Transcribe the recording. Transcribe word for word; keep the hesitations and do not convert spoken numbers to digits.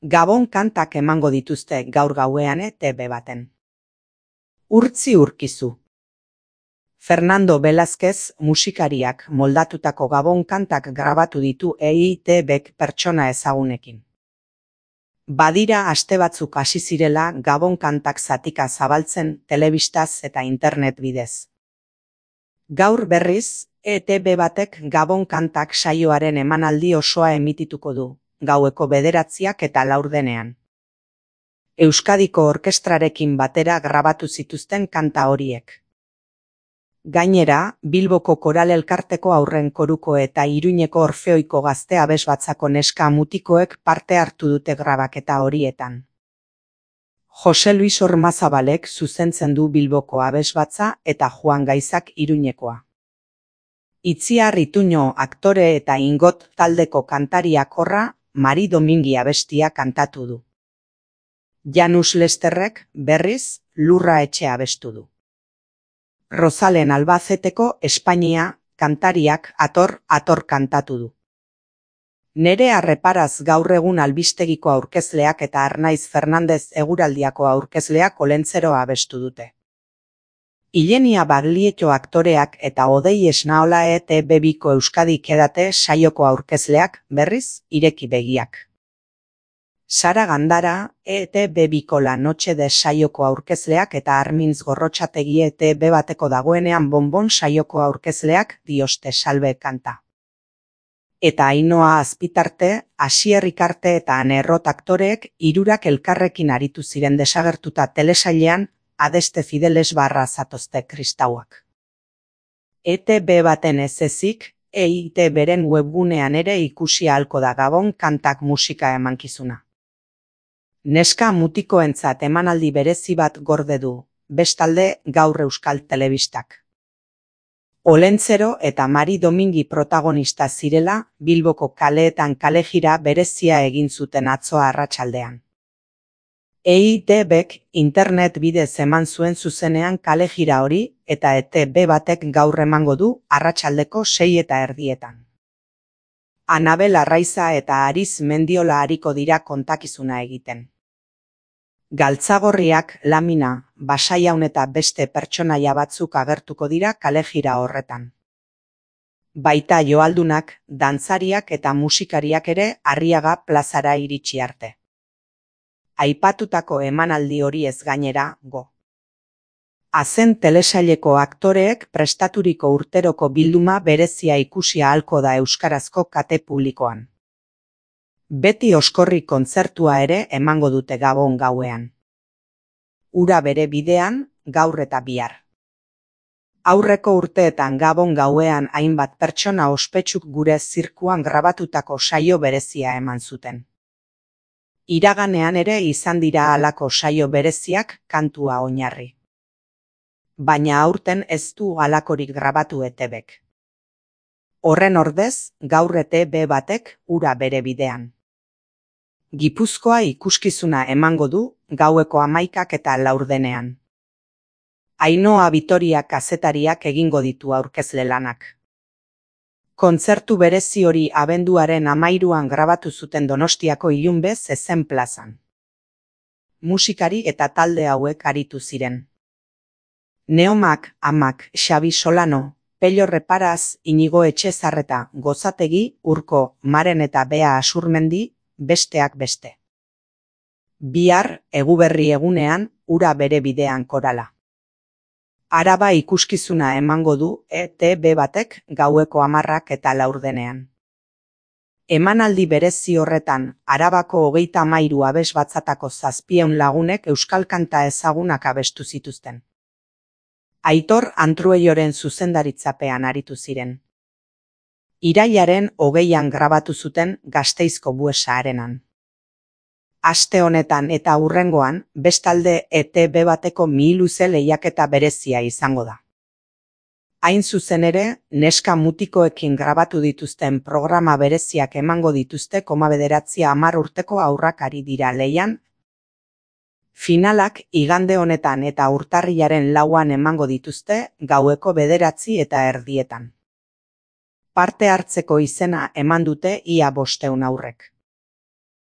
Gabon kantak emango dituzte gaur gauean E T B baten. Urtzi urkizu. Fernando Velázquez musikariak moldatutako Gabon kantak grabatu ditu E I T Bk pertsona ezagunekin. Badira aste batzuk hasi zirela Gabon kantak zatika zabaltzen telebistaz eta internet bidez. Gaur berriz, E T B batek Gabon kantak saioaren emanaldi osoa emitituko du, gaueko bederatziak eta laurdenean. Euskadiko orkestrarekin batera grabatu zituzten kanta horiek. Gainera, Bilboko Koral Elkarteko Haurren Koruko eta Iruñeko Orfeoiko Gazte Abesbatzako neska mutikoek parte hartu dute grabaketa horietan. Jose Luis Ormazabalek zuzentzen du Bilboko Abesbatza eta Juan Gaizak Iruñekoa. Itziar Ituño aktore eta Ingot taldeko kantariak horra, Mari Domingi abestia kantatu du. Janus Lesterrek, berriz, Lurra Etxea abestu du. Rosalen Albazeteko Espainia kantariak Ator, Ator kantatu du. Nere Arreparaz gaur egun albistegiko aurkezleak eta Arnaiz Fernandez eguraldiako aurkezleak Olentzeroa abestu dute. Ilenia Baglietto aktoreak eta Odei Esnaola E T B biko Euskadi Kedate saioko aurkezleak, berriz, Ireki Begiak. Sara Gandara, E T B biko La Noche de saioko aurkezleak eta Armintz Gorrotxategi E T B bateko dagoenean Bonbon saioko aurkezleak Dioste Salbe kanta. Eta Ainhoa Azpitarte, Asier Rikarte eta Ane Errot aktoreek hirurak elkarrekin aritu ziren desagertuta telesailean Adeste Fideles barra zatozte kristauak. E T B baten ez ezik, E I T Bren webgunean ere ikusi ahalko da Gabon kantak musika emankizuna. Neska mutikoentzat emanaldi berezi bat gorde du, bestalde gaur Euskal Telebistak. Olentzero eta Mari Domingi protagonista zirela, Bilboko kaleetan kalejira berezia egin zuten atzo arratsaldean. E I T Bk internet bidez eman zuen zuzenean kalejira hori eta E T B batek gaur emango du arratsaldeko sei eta erdietan. Anabel Arraiza eta Ariz Mendiola ariko dira kontakizuna egiten. Galtzagorriak, Lamina, Basaiaun eta beste pertsonaia batzuk agertuko dira kalejira horretan. Baita joaldunak, dantzariak eta musikariak ere Arriaga plazara iritsi arte. Aipatutako emanaldi hori ez gainera, go. Azen telesaileko aktoreek prestaturiko urteroko bilduma berezia ikusi ahalko da euskarazko kate publikoan. Beti Oskorri kontzertua ere emango dute Gabon gauean. Ura bere bidean, gaur eta bihar. Aurreko urteetan Gabon gauean hainbat pertsona ospetsuk gure zirkuan grabatutako saio berezia eman zuten. Iraganean ere izan dira halako saio bereziak kantua oinarri. Baina aurten ez du halakorik grabatu E T Bk. Horren ordez, gaur E T B batek ura bere bidean. Gipuzkoa ikuskizuna emango du gaueko hamaikak eta laurdenean. Ainhoa Vitoria kazetariak egingo ditu aurkezle lanak. Kontzertu berezi hori abenduaren hamairuan grabatu zuten Donostiako Ilunbe zezen plazan. Musikari eta talde hauek aritu ziren. Neomak, Amak, Xabi Solano, Pello Reparaz, Inigo Etxezarreta, Gozategi, Urko, Maren eta Bea Asurmendi, besteak beste. Bihar, Eguberri egunean, ura bere bidean korala. Araba ikuskizuna emango du E T B batek gaueko hamarrak eta laurdenean. Emanaldi berezi horretan, Arabako hogeita hamairu abesbatzatako zazpieun lagunek euskal kanta ezagunak abestu zituzten. Aitor Antrueioren zuzendaritzapean aritu ziren. Irailaren hogeian grabatu zuten Gasteizko Buesa arenan. Aste honetan eta hurrengoan, bestalde E T B bateko mihiluze lehiaketa berezia izango da. Hain zuzen ere, neska mutikoekin grabatu dituzten programa bereziak emango dituzte koma bederatzi hamar urteko haurrak ari dira lehian. Finalak igande honetan eta urtarrilaren lauan emango dituzte gaueko bederatzi eta erdietan. Parte hartzeko izena eman dute ia bosteun haurrek.